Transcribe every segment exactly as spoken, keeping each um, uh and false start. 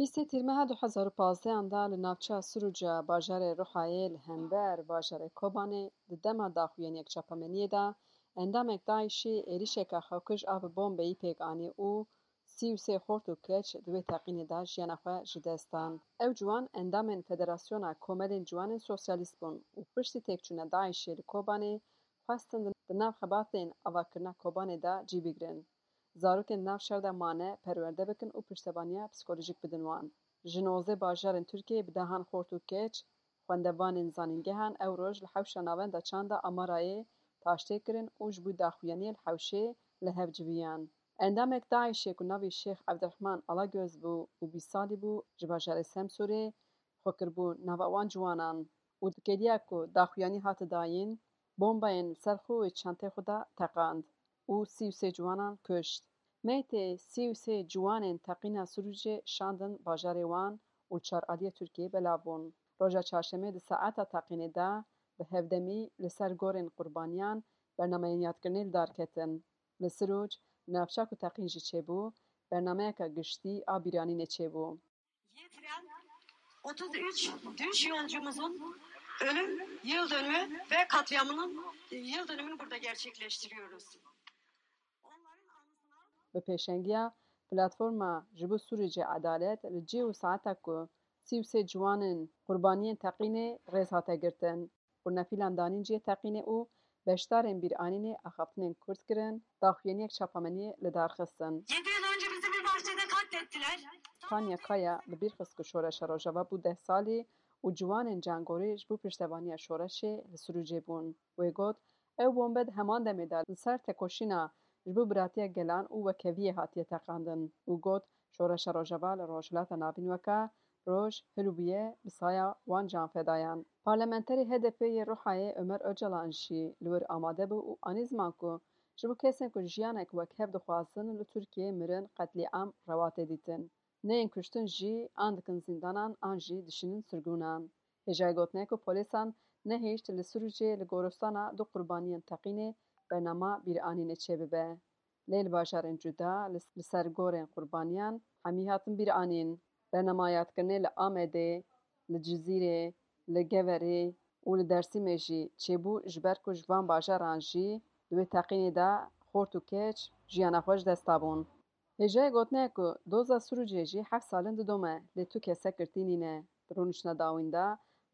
Bîstê Tîrmeha du hezar û pazdehan de li navça Sirûca bajarê Ruhayê li hember bajarê Kobanê di dema daxuyaniyek çapemeniyê de endamek DAIŞ'î êrişeke xewkij a bi bombeyî pêk anî û sî û sê xort û keç di wê teqînê de jiyana xwe ji dest dan. Ew ciwan endamên Federasyona Komelên Ciwanên Sosyalîst bûn û piştî têkçûna DAIŞ'ê li Kobanê xwestin di nav xebatên avakirina Kobanê de cî bigrin. Zarokên di nav şer de mane perwerde bikin û piştevaniya psîkolojîk bidin wan. Ji nozdeh bajarên Tirkiyeyê bi dehan xort û keç, xwendevanên zanîngehan ew roj li hewşa navenda çanda Amarayê taştê kirin û ji bo daxuyaniyê li hewşê li hev civiyan. Endamek DAIŞ'ê ku navê Şêx Evdirehman Alagöz bû û bîst salî bû, ji bajarê Semsûrê xwe kiribû nava wan ciwanan û dikeliya ku daxuyanî hate dayîn, bombayên li ser xwe û çentê xwe de teqand û sî û sê ciwanan kuşt. Meytê sî û sê ciwanên teqîna Sirûcê şandin bajarê wan û li çar aliyê Tirkiyeyê belav bûn. Roja çarşemê di saeta teqînê de bi hevdemî li ser gorên qurbaniyan bernameyên yadkirinê li dar ketin. Li Sirûc, navça ku teqîn jî çêbû, bernameyeke giştî a bîranînê çêbû. Getiren otuz üç düş yolcumuzun ölüm yıl dönümü ve katliamının yıl dönümünü burada gerçekleştiriyoruz. Onların anısına Bi pêşengiya Platforma ji bo Sûrûcê Edalet li cih û saeta ku sî û sê ciwanên qurbaniyên teqînê rêz hate girtin. Qurnefîlan danîn cihê teqînê û beşdarên bîranînê axaftinên kurt kirin, daxuyaniyek çapemeniyê li dar xistin. Yedi yıl önce bizi bir bahçede katlettiler. Tanya Kaya bi bîr xist ku Şoreşa Rojava bû deh salî û ciwanên cangorî ji bo piştevaniya şoreşê li Sirûcê bûn. Wê got, ew bombe di heman demê de li ser tekoşîna ji bo biratiya gelan û wekheviyê hatiye teqandin û got, Şoreşa Rojava li Rojhilata Navîn weke roj hilbûye bi saya wan canfedayan. Parlamenterê H D P yê Ruhayê Ömer Öcalan jî li wir amade bû û anî ziman ku ji bo kesên ku jiyanek wekhev dixwazin li Tirkiyeyê mirin qetlîam rewa tê dîtin. Neyên kuştin jî an dikin zîndanan an jî dişînin sirgûnan. Hêjayê gotinê ku polîsan nehişt li Sirûcê li goristana du qurbaniyên teqînê bernama bîranînê çêbibe. Lê li bajarên cuda li, li ser gorên qurbaniyan hemî hatin bîranîn. Bernama yadkirinê li Amedê, li Cizîrê, li Geverê û li Dersîmê jî çêbû, ji ber ku ji van bajaran jî di wê teqînê de xort û keç jiyana xwe ji dest dabûn. Hêjayê gotinê ku doza Sirûcê jî heft sal in didome, lê tu kesek girtî nîne. Di rûniştina dawîn de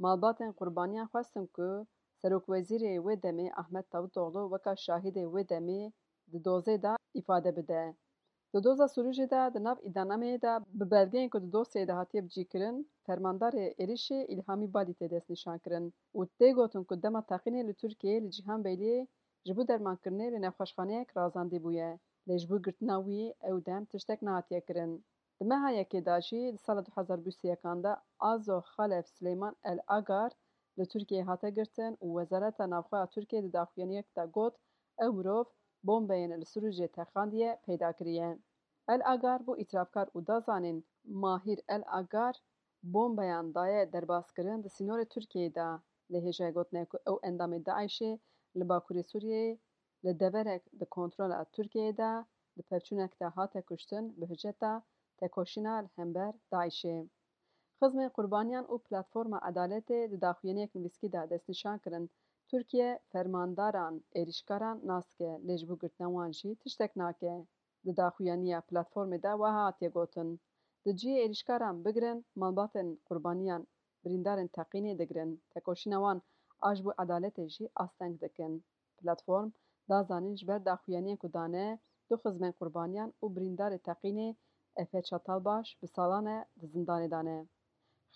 malbatên qurbaniyan xwestin ku serokwezîrê wê demê Ahmet Davutoglu weka şahidê wê demê di dozê de îfade bide. Di doza Sirûcê de di nav îdîanameyê de bi belgeyên ku di dosyeyê de hatiye bicîkirin, fermandarê êrişê Îlhamî Balî tê destnîşankirin û tê gotin ku dema teqînê li Tirkiyeyê li Cîhan Beyliyê ji bo dermankirinê li nexweşxaneyek razandî bûye, lê ji bo girtina wî ew dem tiştek nehatiye kirin. Di meha yekê de jî di sala du hezar bîst û yekan de Azo Xalef Sileyman El Agar li Tirkiyeyê hate girtin û Wezareta Navxwe ya Tirkiyeyê di daxuyaniyek de got, ew mirov bombeyên li Sirûcê teqandiye peyda kiriye. El Agar bû îtirafkar û da zanîn, Mahîr El Agar bombeyan daye derbaskirin di sînorê Tirkiyeyê de, lê hêjayê gotinê ku ew endamê DAIŞ'ê li Bakurê Sûriyeyê li deverek di kontrola Tirkiyeyê de di pevçûnek de hate kuştin bi hiceta tekoşîna li hember DAIŞ'ê. Xizmên Qurbaniyan û Platforma Edaletê di daxuyaniyek nivîskî de destnîşan kirin, Tirkiye fermandaran êrîşkaran nas dike, lê ji bo girtina wan jî tiştek nake. Di daxuyaniya platformê de wiha hatiye gotin, di cihê êrîşkaran bigirin, malbatên qurbaniyan birîndarên teqînê digirin, tekoşîna wan a ji bo edaletê jî asteng dikin. Platform da zanîn ji ber daxuyaniyên ku dane, du xizmên qurbaniyan û birîndarê teqînê Efe Çatalbaş bi salan e di zindanê de ne.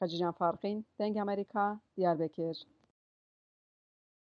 Xecîcan Farqîn, Dengê Amerîka, Diyarbekir.